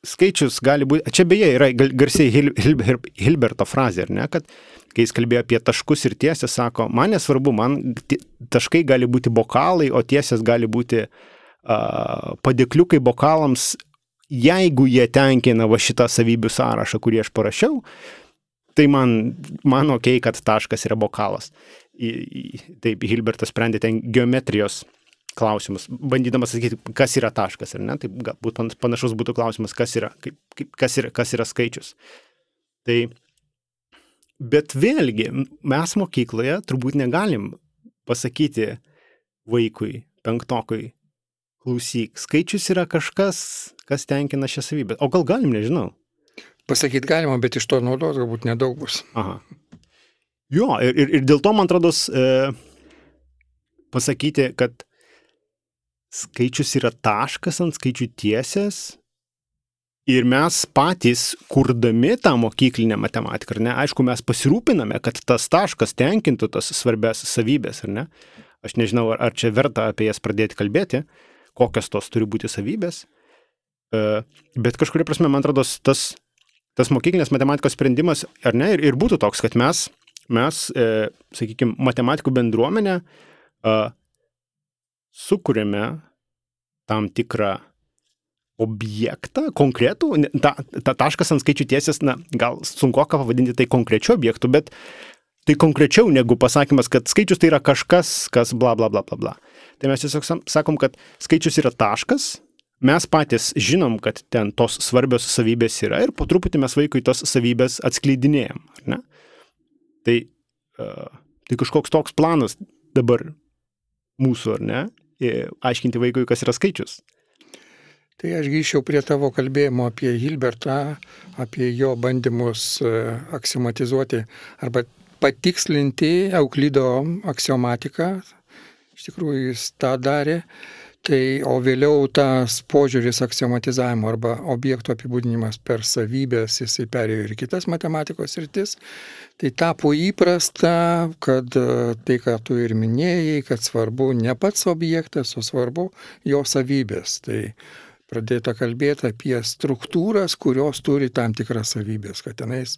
[SPEAKER 1] skaičius gali būti, čia beje yra garsiai Hil, Hil, Hilberto frazė, ar ne, kad kai jis kalbėjo apie taškus ir tiesės, sako, man nesvarbu, man taškai gali būti bokalai, o tiesės gali būti uh, padėkliukai bokalams, jeigu jie tenkina va šitą savybių sąrašą, kurį aš parašiau, tai man, man okei, kad taškas yra bokalas. Į, į, taip, Hilbertas sprendė ten geometrijos klausimus, bandydamas sakyti, kas yra taškas, ar ne? Taip, galbūt panašus būtų klausimas, kas yra, kaip, kaip, kas yra, kas yra skaičius. Tai, bet vėlgi, mes mokykloje turbūt negalim pasakyti, vaikui, penktokui, klausyk, skaičius yra kažkas, kas tenkina šią savybę. O gal galim, nežinau.
[SPEAKER 3] Pasakyti galima, bet iš to naudos galbūt nedaug bus.
[SPEAKER 1] Aha. Jo, ir, ir, ir dėl to, man atrodo, e, pasakyti, kad skaičius yra taškas ant skaičių tiesės ir mes patys, kurdami tą mokyklinę matematiką, ar ne, aišku, mes pasirūpiname, kad tas taškas tenkintų tas svarbias savybės, ar ne. Aš nežinau, ar, ar čia verta apie jas pradėti kalbėti, kokios tos turi būti savybės, e, bet kažkuria prasme, man atrodo, tas, tas mokyklinės matematikos sprendimas, ar ne, ir, ir būtų toks, kad mes, mes e, sakykime, matematikų bendruomenę e, sukūrėme tam tikrą objektą, konkretų, ta, ta taškas ant skaičių tiesės, na, gal sunkoka pavadinti tai konkrečiu objektu, bet tai konkrečiau negu pasakymas, kad skaičius tai yra kažkas, kas bla bla bla bla bla. Tai mes tiesiog sakom, kad skaičius yra taškas, mes patys žinom, kad ten tos svarbios savybės yra ir po truputį mes vaikui tos savybės atskleidinėjom, ar ne? Tai, uh, tai kažkoks toks planas dabar mūsų, ar ne? Aiškinti vaikui, kas yra skaičius.
[SPEAKER 3] Tai aš grįžčiau prie tavo kalbėjimo apie Hilbertą, apie jo bandymus aksiomatizuoti arba patikslinti Euklido aksiomatiką. Iš tikrųjų jis tą darė. Tai, o vėliau tas požiūris aksiomatizavimo arba objektų apibūdinimas per savybės, jisai perėjo ir kitas matematikos sritis. Tai tapo įprasta, kad tai, ką tu ir minėjai, kad svarbu ne pats objektas, o svarbu jo savybės. Tai pradėta kalbėti apie struktūras, kurios turi tam tikras savybės, kad tenais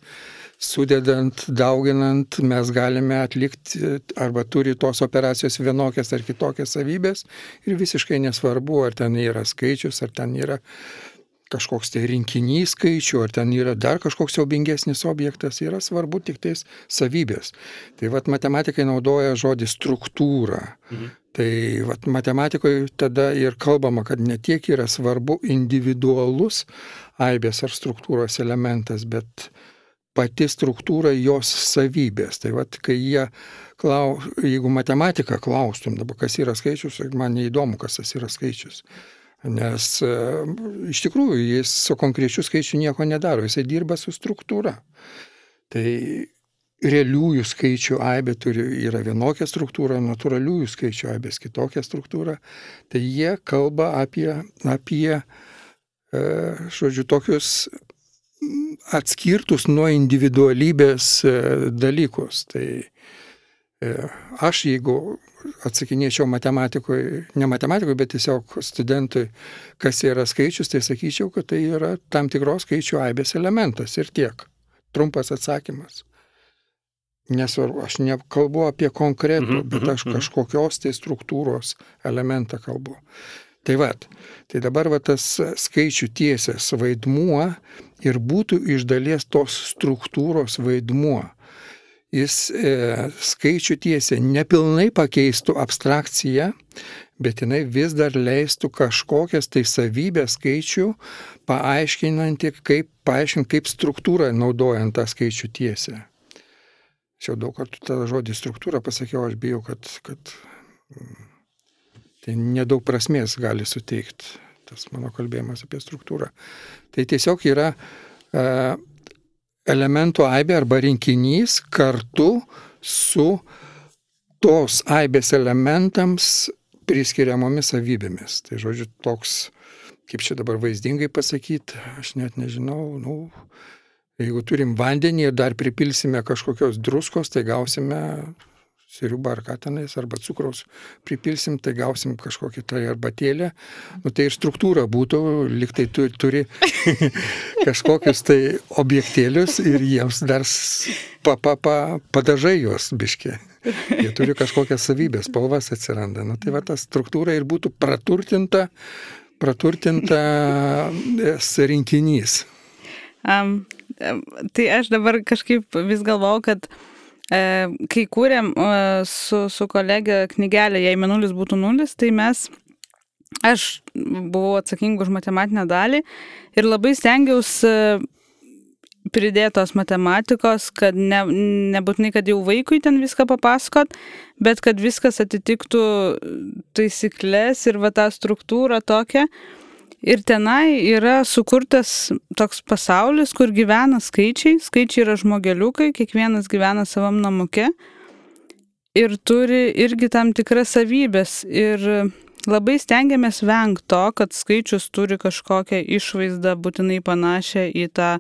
[SPEAKER 3] sudedant, dauginant, mes galime atlikti arba turi tos operacijos vienokias ar kitokias savybės ir visiškai nesvarbu, ar ten yra skaičius, ar ten yra kažkoks tai rinkinys skaičių, ar ten yra dar kažkoks siaubingesnis objektas, yra svarbu tik tais savybės. Tai vat matematikai naudoja žodį struktūra. Mhm. Tai vat matematikoje tada ir kalbama, kad ne tiek yra svarbu individualus aibės ar struktūros elementas, bet pati struktūra jos savybės. Tai vat kai jie, klau, jeigu matematiką klaustum, dabar kas yra skaičius, man neįdomu, kas tas yra skaičius. Nes e, iš tikrųjų jis su konkrečiu skaičiu nieko nedaro, jisai dirba su struktūra. Tai realiųjų skaičių aibė turi, yra vienokia struktūra, natūraliųjų skaičių aibės kitokia struktūra. Tai jie kalba apie, apie e, žodžiu, tokius atskirtus nuo individualybės e, dalykus. Tai e, aš jeigu atsakinėčiau matematikoje, ne matematikoje, bet tiesiog studentui, kas yra skaičius, tai sakyčiau, kad tai yra tam tikros skaičių aibės elementas ir tiek. Trumpas atsakymas. Nesvarbu, aš nekalbu apie konkretų, bet aš kažkokios tai struktūros elementą kalbu. Tai vat, tai dabar va tas skaičių tiesės vaidmuo ir būtų iš dalies tos struktūros vaidmuo. Jis e, skaičių tiesė nepilnai pakeistų abstrakciją, bet jinai vis dar leistų kažkokias tai savybės skaičių, paaiškinanti, kaip, paaiškinti, kaip struktūrą naudojant tą skaičių tiesę. Aš jau daug kartų tą žodį struktūrą pasakiau, aš bijau, kad, kad tai nedaug prasmės gali suteikti tas mano kalbėjimas apie struktūrą. Tai tiesiog yra e, elementų aibė arba rinkinys kartu su tos aibės elementams priskiriamomis savybėmis. Tai žodžiu toks, kaip čia dabar vaizdingai pasakyti, aš net nežinau, nu, jeigu turim vandenį ir dar pripilsime kažkokios druskos, tai gausime siriubą ar ką tenais, arba cukraus pripilsim, tai gausim kažkokį tai arbatėlę. Nu, tai ir struktūra būtų, lyg tai turi, turi kažkokius tai objektėlius ir jiems dar pa, pa, pa, padažai juos biškė. Jie turi kažkokias savybės, spalvas atsiranda. Nu, tai va ta struktūra ir būtų praturtinta, praturtinta rinkinys.
[SPEAKER 2] Um, tai aš dabar kažkaip vis galvau, kad kai kūrėm su, su kolegė knygelę, jei mėnulis būtų nulis, tai mes, aš buvau atsakinga už matematinę dalį ir labai stengiausi pridėtos matematikos, kad ne, nebūtinai, kad jau vaikui ten viską papasakot, bet kad viskas atitiktų taisyklės ir va tą struktūrą tokią. Ir tenai yra sukurtas toks pasaulis, kur gyvena skaičiai, skaičiai yra žmogeliukai, kiekvienas gyvena savam namuke ir turi irgi tam tikras savybės. Ir labai stengiamės vengti to, kad skaičius turi kažkokią išvaizdą būtinai panašią į tą,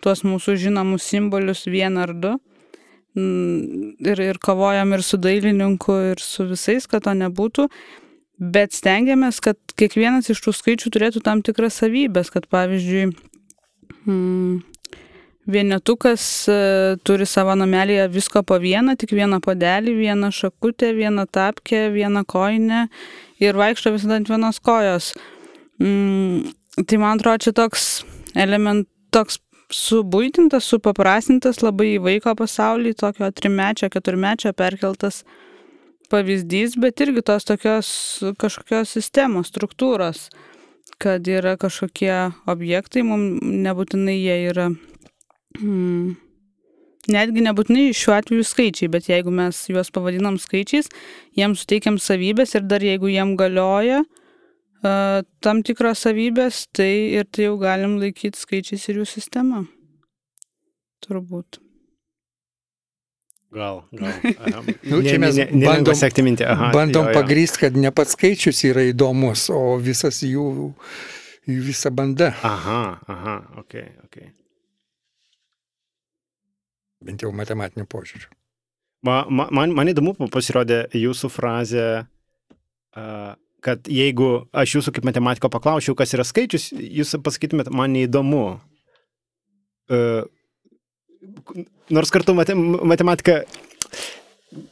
[SPEAKER 2] tuos mūsų žinomus simbolius vieną ar du. Ir, ir kovojam ir su dailininku, ir su visais, kad to nebūtų. Bet stengiamės, kad kiekvienas iš tų skaičių turėtų tam tikras savybės, kad pavyzdžiui, hmm, vienetukas turi savo namelėje visko po vieną, tik vieną puodelį, vieną šakutę, vieną tapkę, vieną kojinę ir vaikšto visada ant vienos kojos. Hmm, tai man atrodo, čia toks element, toks subuitintas, supaprastintas labai į vaiko pasaulį, tokio trimečio, keturmečio perkeltas pavyzdys, bet irgi tos tokios kažkokios sistemos, struktūros, kad yra kažkokie objektai, mums nebūtinai jie yra, hmm, netgi nebūtinai šiuo atveju skaičiai, bet jeigu mes juos pavadinam skaičiais, jiems suteikiam savybės ir dar jeigu jiem galioja uh, tam tikros savybės, tai ir tai jau galim laikyti skaičiais ir jų sistema. Turbūt.
[SPEAKER 1] Gal, gal. Aha.
[SPEAKER 3] Nu, čia mes
[SPEAKER 1] ne, ne,
[SPEAKER 3] bandom,
[SPEAKER 1] Aha,
[SPEAKER 3] bandom
[SPEAKER 1] jo, jo.
[SPEAKER 3] pagrįsti, kad ne pats skaičius yra įdomus, o visas jų, jų visa banda.
[SPEAKER 1] Aha, aha, okei, okay, okei. Okay.
[SPEAKER 3] Bent jau matematiniu požiūriu.
[SPEAKER 1] Ma, ma, man, man įdomu pasirodė jūsų frazė, uh, kad jeigu aš jūsų kaip matematiko paklausiau, kas yra skaičius, jūs pasakytumėt, man neįdomu. Uh, Nors kartu matematika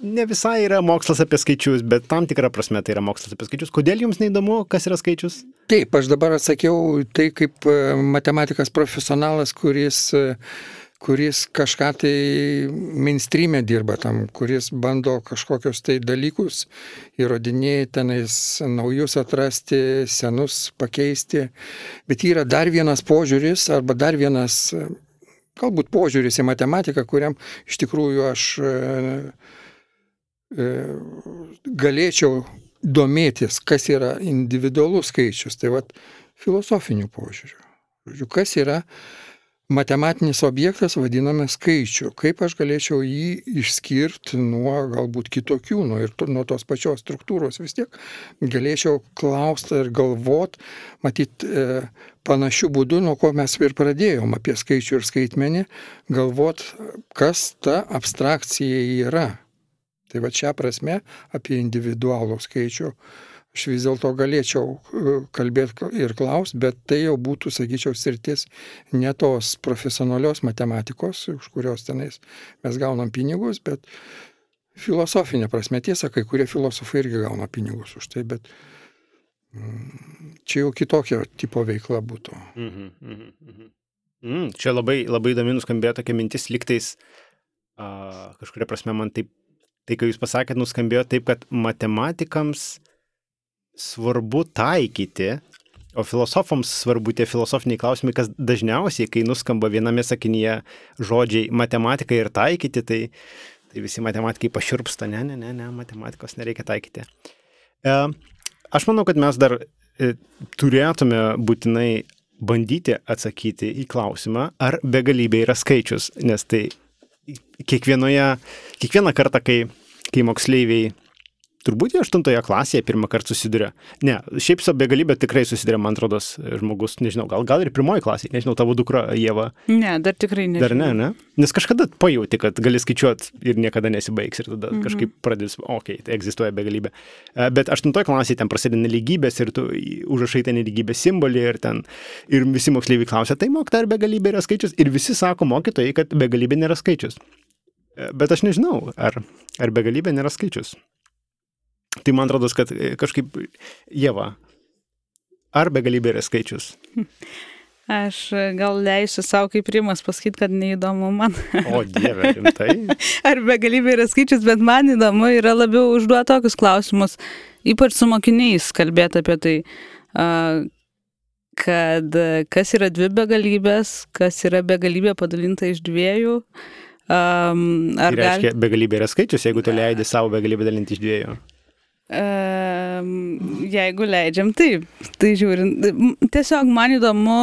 [SPEAKER 1] ne visai yra mokslas apie skaičius, bet tam tikrą prasme tai yra mokslas apie skaičius. Kodėl jums neįdomu, kas yra skaičius?
[SPEAKER 3] Taip, aš dabar atsakiau tai kaip matematikas profesionalas, kuris, kuris kažką tai mainstream'e dirba tam, kuris bando kažkokius tai dalykus įrodinėti, tenais naujus atrasti, senus pakeisti. Bet yra dar vienas požiūris arba dar vienas galbūt požiūris į matematiką, kuriam iš tikrųjų aš e, e, galėčiau domėtis, kas yra individualus skaičius. Tai vat filosofinių požiūrių. Žodžiu, kas yra matematinis objektas, vadiname skaičiu. Kaip aš galėčiau jį išskirti nuo galbūt kitokių, nuo, ir nuo tos pačios struktūros vis tiek galėčiau klausti ir galvot, matyt, e, panašių būdų, nuo ko mes ir pradėjom apie skaičių ir skaitmenį, galvot, kas ta abstrakcija yra. Tai va čia prasme apie individualų skaičių aš vis dėlto galėčiau kalbėti ir klausti, bet tai jau būtų, sakyčiau, sritis ne tos profesionalios matematikos, už kurios tenais mes gaunam pinigus, bet filosofinė prasme. Tiesa, kai kurie filosofai irgi gauna pinigus už tai, bet čia jau kitokio tipo veikla būtų.
[SPEAKER 1] Mhm, mhm, mhm. Mm, čia labai, labai įdomi nuskambėjo tokia mintis, liktais uh, kažkuria prasme man taip, tai, kai jūs pasakėt, nuskambėjo taip, kad matematikams svarbu taikyti, o filosofams svarbu tie filosofiniai klausimai, kas dažniausiai, kai nuskamba viename sakinyje žodžiai matematika ir taikyti, tai, tai visi matematikai pašiurpsta, ne, ne, ne, ne, matematikos nereikia taikyti. E, aš manau, kad mes dar e, turėtume būtinai bandyti atsakyti į klausimą, ar begalybė yra skaičius, nes tai kiekvienoje, kiekvieną kartą, kai, kai moksleiviai turbūt jau aštuntoje klasėje pirmą kartą susiduria. Ne, šiaip su begalybė tikrai susiduria, man atrodo, žmogus, nežinau, gal, gal ir pirmoji klasėje, nežinau, tavo dukra Ieva.
[SPEAKER 2] Ne, dar tikrai nežinau.
[SPEAKER 1] Dar ne, ne? Nes kažkada pajauti, kad gali skaičiuoti ir niekada nesibaigs ir tada mm-hmm. kažkaip pradės, okei, okay, tai egzistuoja begalybė. Bet aštuntoje klasėje ten prasideda nelygybės ir tu užrašai ten nelygybės simbolį ir ten, ir visi moksleiviai klausia, tai mokyta, ar begalybė yra skaičius? Ir visi sako mokytojai, kad begalybė nėra skaičius. Bet aš nežinau, ar, ar begalybė nėra skaičius. Tai man atrodo, kad kažkaip, Ieva, ar begalybė yra skaičius?
[SPEAKER 2] Aš gal leisiu savo kaip Rimas pasakyti, kad neįdomu man.
[SPEAKER 1] O Dieve, rimtai?
[SPEAKER 2] Ar begalybė yra skaičius, bet man įdomu yra labiau užduoti tokius klausimus, ypač su mokiniais kalbėti apie tai, kad kas yra dvi begalybės, kas yra begalybė padalinta iš dviejų. Um, ar
[SPEAKER 1] tai reiškia,
[SPEAKER 2] gal...
[SPEAKER 1] begalybė yra skaičius, jeigu tu leidi savo begalybę dalinti iš dviejų?
[SPEAKER 2] Um, jeigu leidžiam, taip. Tai žiūrint, tiesiog man įdomu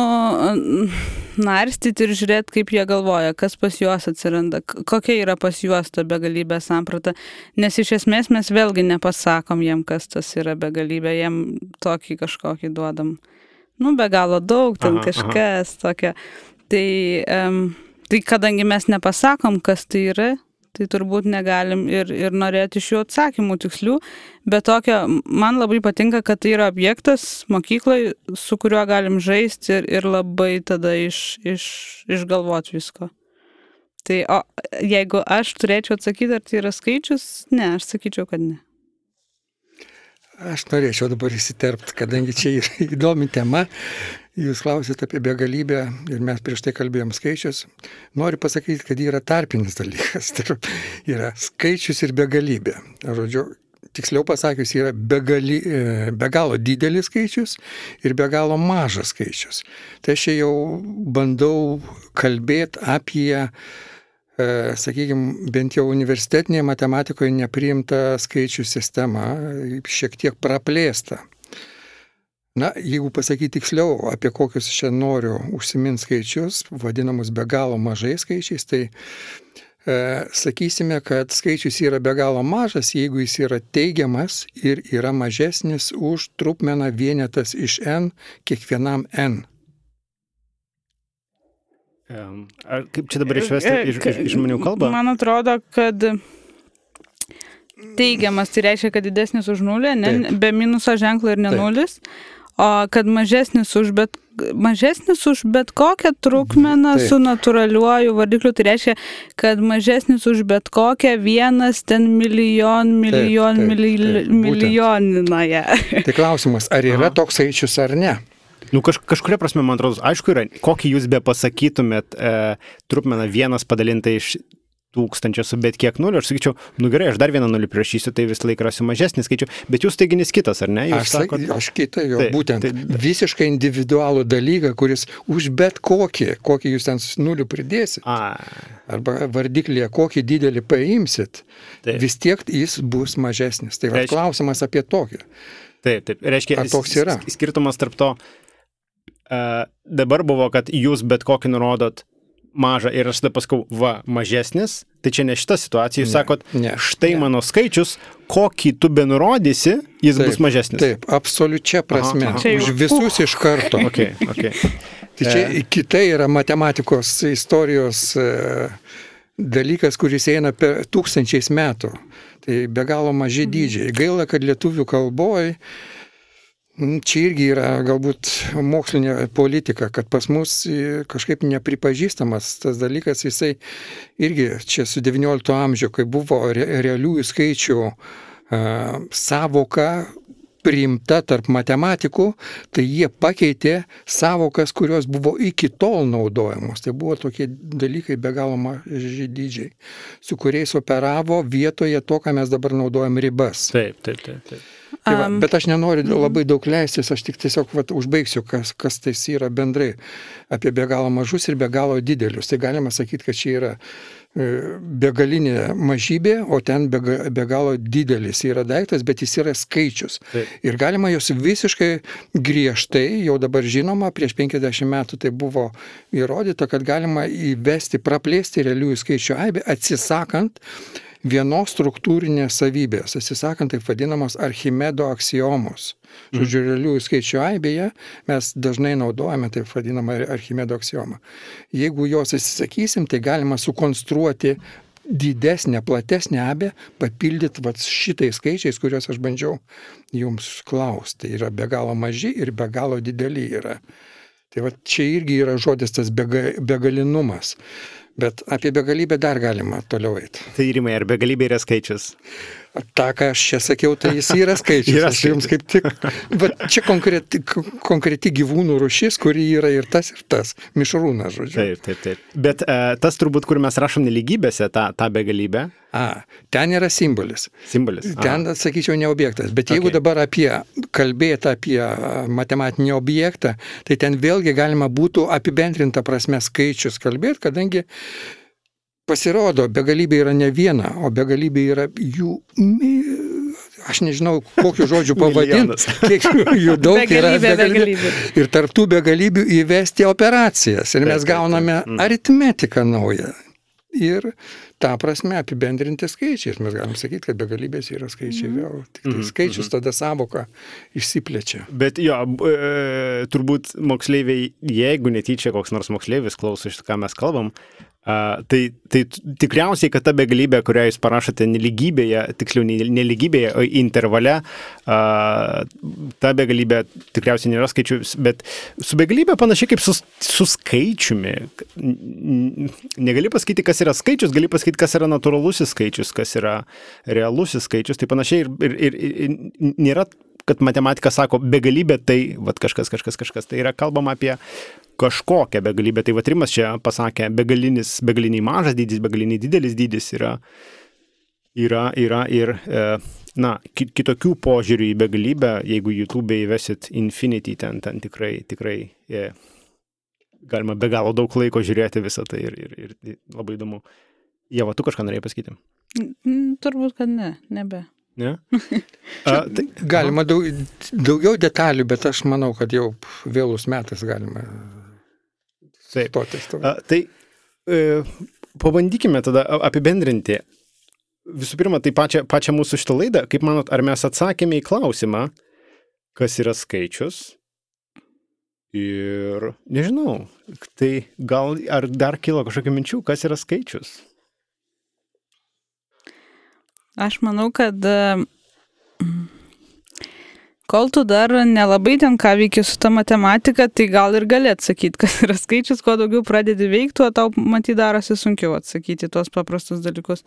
[SPEAKER 2] narstyti ir žiūrėti, kaip jie galvoja, kas pas juos atsiranda, kokia yra pas juos ta begalybė samprata, nes iš esmės mes vėlgi nepasakom jiem, kas tas yra begalybė, jiem tokį kažkokį duodam, nu, be galo daug, ten aha, kažkas aha. Tokio. Tai, um, tai kadangi mes nepasakom, kas tai yra, tai turbūt negalim ir, ir norėti iš jų atsakymų tikslių, bet tokio, man labai patinka, kad tai yra objektas mokyklai, su kuriuo galim žaisti ir, ir labai tada iš, iš, išgalvoti visko. Tai o jeigu aš turėčiau atsakyti, ar tai yra skaičius, ne, aš sakyčiau, kad ne.
[SPEAKER 3] Aš norėčiau dabar įsiterpti, kadangi čia yra įdomi tema. Jūs klausėte apie begalybę ir mes prieš tai kalbėjom skaičius. Noriu pasakyti, kad yra tarpinis dalykas. Tai yra skaičius ir begalybė. Žodžiu, tiksliau pasakius, yra begali, be galo didelis skaičius ir be galo mažas skaičius. Tai aš jau bandau kalbėti apie, sakykime, bent jau universitetinėje matematikoje nepriimtą skaičių sistemą, šiek tiek praplėstą. Na, jeigu pasakyti tiksliau, apie kokius čia noriu užsiminti skaičius, vadinamus be galo mažais skaičiais, tai e, sakysime, kad skaičius yra be galo mažas, jeigu jis yra teigiamas ir yra mažesnis už trupmeną vienetas iš n kiekvienam n.
[SPEAKER 1] Ar kaip čia dabar išvesti iš, iš, iš žmonių kalbą?
[SPEAKER 2] Man atrodo, kad teigiamas tai reiškia, kad didesnis už nulį, ne, be minuso ženklo ir ne nulis. O kad mažesnis už bet, mažesnis už bet kokią trukmeną taip. Su natūraliuoju vardikliu, tai reiškia, kad mažesnis už bet kokią vienas ten milijon, milijon, taip, taip, taip, milijoninąją.
[SPEAKER 3] Tai klausimas, ar yra Aha. toks skaičius ar ne?
[SPEAKER 1] Nu, kaž, kažkuria prasme, man atrodo, aišku yra, kokį jūs be pasakytumėt e, trukmeną vienas padalinta iš tūkstančio su bet kiek nulių, aš sakyčiau, nu gerai, aš dar vieną nulį prašysiu, tai vis laik rasiu mažesnį skaičių, bet jūs teiginys kitas, ar ne? Jūs
[SPEAKER 3] aš,
[SPEAKER 1] sakot,
[SPEAKER 3] aš kitą, jo, tai, būtent tai, visiškai individualų dalyką, kuris už bet kokį, kokį jūs ten nulių pridėsit, a. arba vardiklėje, kokį didelį paimsit, taip. Vis tiek jis bus mažesnis. Tai va, klausimas apie tokį.
[SPEAKER 1] Taip, taip, reiškia,
[SPEAKER 3] ar toks yra?
[SPEAKER 1] Skirtumas tarp to, uh, dabar buvo, kad jūs bet kokį nurodot mažą ir aš tada paskau, va, mažesnis, tai čia ne šita situacija, jūs ne, sakot, ne, štai ne. Mano skaičius, kokį tu benurodysi, jis taip, bus mažesnis.
[SPEAKER 3] Taip, absoliučia prasme, aha, aha. Už visus iš karto.
[SPEAKER 1] Okay, okay.
[SPEAKER 3] Tai čia e... kitai yra matematikos istorijos e, dalykas, kuris eina per tūkstančiais metų. Tai be galo maži dydžiai. Gaila, kad lietuvių kalboje čia irgi yra galbūt mokslinė politika, kad pas mus kažkaip nepripažįstamas tas dalykas, jisai irgi čia su devyniolikto amžiaus, kai buvo re, realiųjų skaičių a, savoka priimta tarp matematikų, tai jie pakeitė savokas, kurios buvo iki tol naudojamos. Tai buvo tokie dalykai be galo maži dydžiai, su kuriais operavo vietoje to, ką mes dabar naudojam ribas.
[SPEAKER 1] Taip, taip, taip, taip.
[SPEAKER 3] Tai va, bet aš nenoriu labai daug leistis, aš tik tiesiog va, užbaigsiu, kas, kas tai yra bendrai apie be galo mažus ir be galo didelius. Tai galima sakyti, kad čia yra begalinė mažybė, o ten be, be galo didelis yra daiktas, bet jis yra skaičius. Taip. Ir galima jos visiškai griežtai, jau dabar žinoma, prieš penkiasdešimt metų tai buvo įrodyta, kad galima įvesti, praplėsti realiųjų skaičių aibę, atsisakant vienos struktūrinės savybės, atsisakant taip vadinamos Archimedo aksiomos. Žodžiu, realiųjų skaičių aibėje mes dažnai naudojame taip vadinamą Archimedo aksiomą. Jeigu jos atsisakysim, tai galima sukonstruoti didesnę, platesnę aibę, papildyti vat, šitais skaičiais, kuriuos aš bandžiau jums klausti. Tai yra be galo maži ir be galo dideli yra. Tai vat, čia irgi yra žodis tas bega, begalinumas. Bet apie begalybę dar galima toliau eiti.
[SPEAKER 1] Tai Rimai, ar begalybė yra skaičius?
[SPEAKER 3] Ta, ką aš čia sakiau, tai jis yra skaičius.
[SPEAKER 1] Yra
[SPEAKER 3] aš jums kaip tik. Bet čia konkreti, konkreti gyvūnų rūšis, kuri yra ir tas, ir tas. Mišrūnas, žodžiu.
[SPEAKER 1] Taip, taip, taip. Bet e, tas turbūt, kur mes rašom nelygybėse, tą, tą begalybę.
[SPEAKER 3] A, ten yra simbolis.
[SPEAKER 1] Simbolis.
[SPEAKER 3] Ten,
[SPEAKER 1] A.
[SPEAKER 3] sakyčiau, ne objektas. Bet jeigu
[SPEAKER 1] Okay.
[SPEAKER 3] dabar apie kalbėti apie matematinį objektą, tai ten vėlgi galima būtų apibendrinta prasme skaičius kalbėti, kadangi pasirodo, begalybė yra ne viena, o begalybė yra jų, aš nežinau, kokiu žodžiu pavadinti, kiek jų daug yra.
[SPEAKER 2] Begalybė, begalybė.
[SPEAKER 3] Ir tarptų begalybių įvesti operacijas. Ir mes
[SPEAKER 1] Taip, taip,
[SPEAKER 3] gauname
[SPEAKER 1] taip. Mm.
[SPEAKER 3] aritmetiką naują. Ir tą prasme apibendrinti skaičiais. Mes galim sakyti, kad begalybės yra skaičiai vėl. Tik tai skaičius tada savoka išsiplečia.
[SPEAKER 1] Bet jo, e, turbūt moksleiviai, jeigu netyčia koks nors moksleivis klauso iš to, ką mes kalbam, a, tai, tai tikriausiai, kad ta begalybė, kurią jūs parašote nelygybėje, tiksliau nelygybėje, o intervale, a, ta begalybė tikriausiai nėra skaičius, bet su begalybė panašiai kaip su, su skaičiumi. Negali pasakyti, kas yra skaičius, gali pasakyti, kas yra natūralusis skaičius, kas yra realusis skaičius, tai panašiai ir, ir, ir, ir nėra, kad matematika sako begalybė, tai vat, kažkas, kažkas, kažkas. Tai yra kalbama apie kažkokią begalybę. Tai vat Rimas čia pasakė, begalinis, begaliniai mažas dydis, begaliniai didelis dydis yra, yra, yra ir e, na, kitokių požiūrių į begalybę, jeigu YouTube įvesit Infinity, ten, ten tikrai, tikrai e, galima be galo daug laiko žiūrėti visą tai ir, ir, ir labai įdomu. Ieva, tu kažką norėjai pasakyti?
[SPEAKER 2] Turbūt, kad ne, nebe.
[SPEAKER 1] Ne? A, tai,
[SPEAKER 3] galima daug, daugiau detalių, bet aš manau, kad jau vėlus metas galima stotis.
[SPEAKER 1] A, tai e, pabandykime tada apibendrinti. Visų pirma, tai pačią, pačią mūsų šitą laidą, kaip manot, ar mes atsakėme į klausimą, kas yra skaičius? Ir nežinau, tai gal ar dar kilo kažkokių minčių, kas yra skaičius?
[SPEAKER 2] Aš manau, kad kol tu dar nelabai ten ką veiki su ta matematika, tai gal ir gali atsakyti, kas yra skaičius, kuo daugiau pradedi veikti, o tau matyt darosi sunkiau atsakyti tuos paprastus dalykus.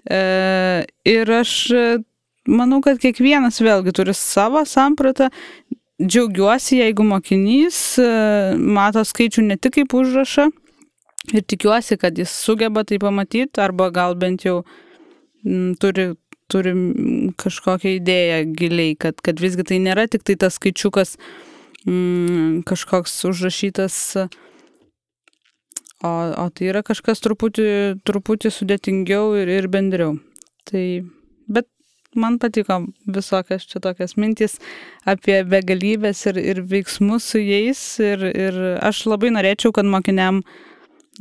[SPEAKER 2] E, ir aš manau, kad kiekvienas vėlgi turi savo sampratą. Džiaugiuosi, jeigu mokinys mato skaičių ne tik kaip užrašą ir tikiuosi, kad jis sugeba tai pamatyti, arba gal bent jau turi, turi kažkokią idėją giliai, kad, kad visgi tai nėra tik tai tas skaičiukas mm, kažkoks užrašytas, o, o tai yra kažkas truputį, truputį sudėtingiau ir, ir bendriau. Tai, bet man patiko visokias čia tokias mintys apie begalybės ir, ir veiksmus su jais ir, ir aš labai norėčiau, kad mokiniam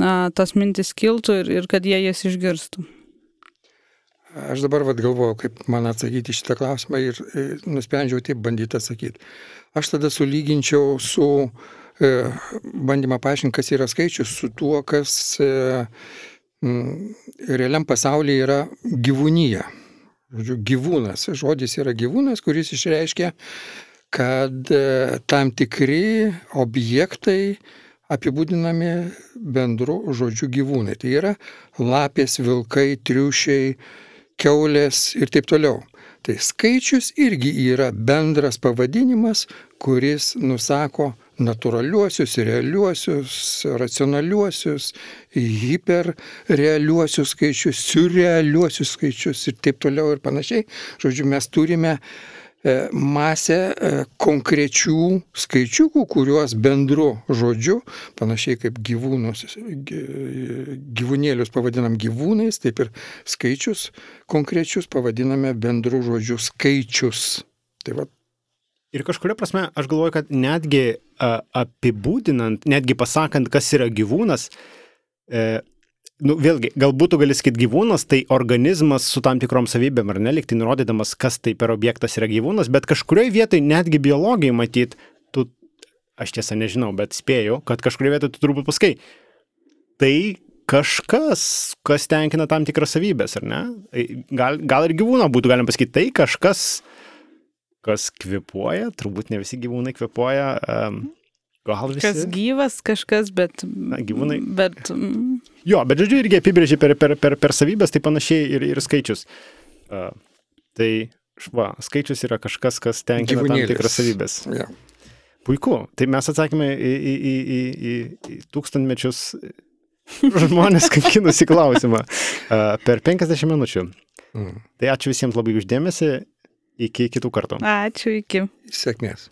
[SPEAKER 2] a, tos mintys kiltų ir, ir kad jie jas išgirstų.
[SPEAKER 3] Aš dabar vat galvoju, kaip man atsakyti šitą klausimą ir, ir nusprendžiau taip bandyti atsakyti. Aš tada sulyginčiau su e, bandymą paaiškinti, kas yra skaičius, su tuo, kas e, m, realiam pasaulyje yra gyvūnyje. Žodžiu, gyvūnas. Žodis yra gyvūnas, kuris išreiškia, kad e, tam tikri objektai apibūdinami bendru žodžiu gyvūnai. Tai yra lapės, vilkai, triušiai, kiaulės ir taip toliau. Tai skaičius irgi yra bendras pavadinimas, kuris nusako natūraliuosius, realiuosius, racionaliuosius, hiperrealiuosius skaičius, surrealiuosius skaičius ir taip toliau ir panašiai. Žodžiu, mes turime masę konkrečių skaičiukų, kuriuos bendru žodžiu, panašiai kaip gyvūnus, gyvūnėlius pavadinam gyvūnais, taip ir skaičius konkrečius pavadiname bendru žodžiu skaičius. Tai va.
[SPEAKER 1] Ir kažkuria prasme, aš galvoju, kad netgi a, apibūdinant, netgi pasakant, kas yra gyvūnas, e, nu, vėlgi, galbūt tu gali sakyti gyvūnas, tai organizmas su tam tikrom savybėm, ar ne, lyg tai nurodydamas, kas tai per objektas yra gyvūnas, bet kažkurioje vietoje, netgi biologijai matyt, tu, aš tiesą nežinau, bet spėju, kad kažkurioje vietoje tu turbūt paskai, tai kažkas, kas tenkina tam tikras savybės, ar ne? Gal, gal ir gyvūną būtų galim pasakyti, tai kažkas, kas kvepuoja, turbūt ne visi gyvūnai kvepuoja, um, gal visi.
[SPEAKER 2] Kas gyvas, kažkas, bet...
[SPEAKER 1] Na, gyvūnai.
[SPEAKER 2] Bet,
[SPEAKER 1] jo, bet žodžiu, irgi apibrėžė per, per, per, per savybės, tai panašiai ir, ir skaičius. Uh, Tai šva, skaičius yra kažkas, kas tenkina tam tikras savybės.
[SPEAKER 3] Ja.
[SPEAKER 1] Puiku. Tai mes atsakėme į, į, į, į, į, į tūkstantmečius žmonės kankinusi klausimą uh, per penkiasdešimt minučių. Mm. Tai ačiū visiems labai uždėmesi. Iki kitų kartų.
[SPEAKER 2] Ačiū, iki.
[SPEAKER 3] Sėkmės.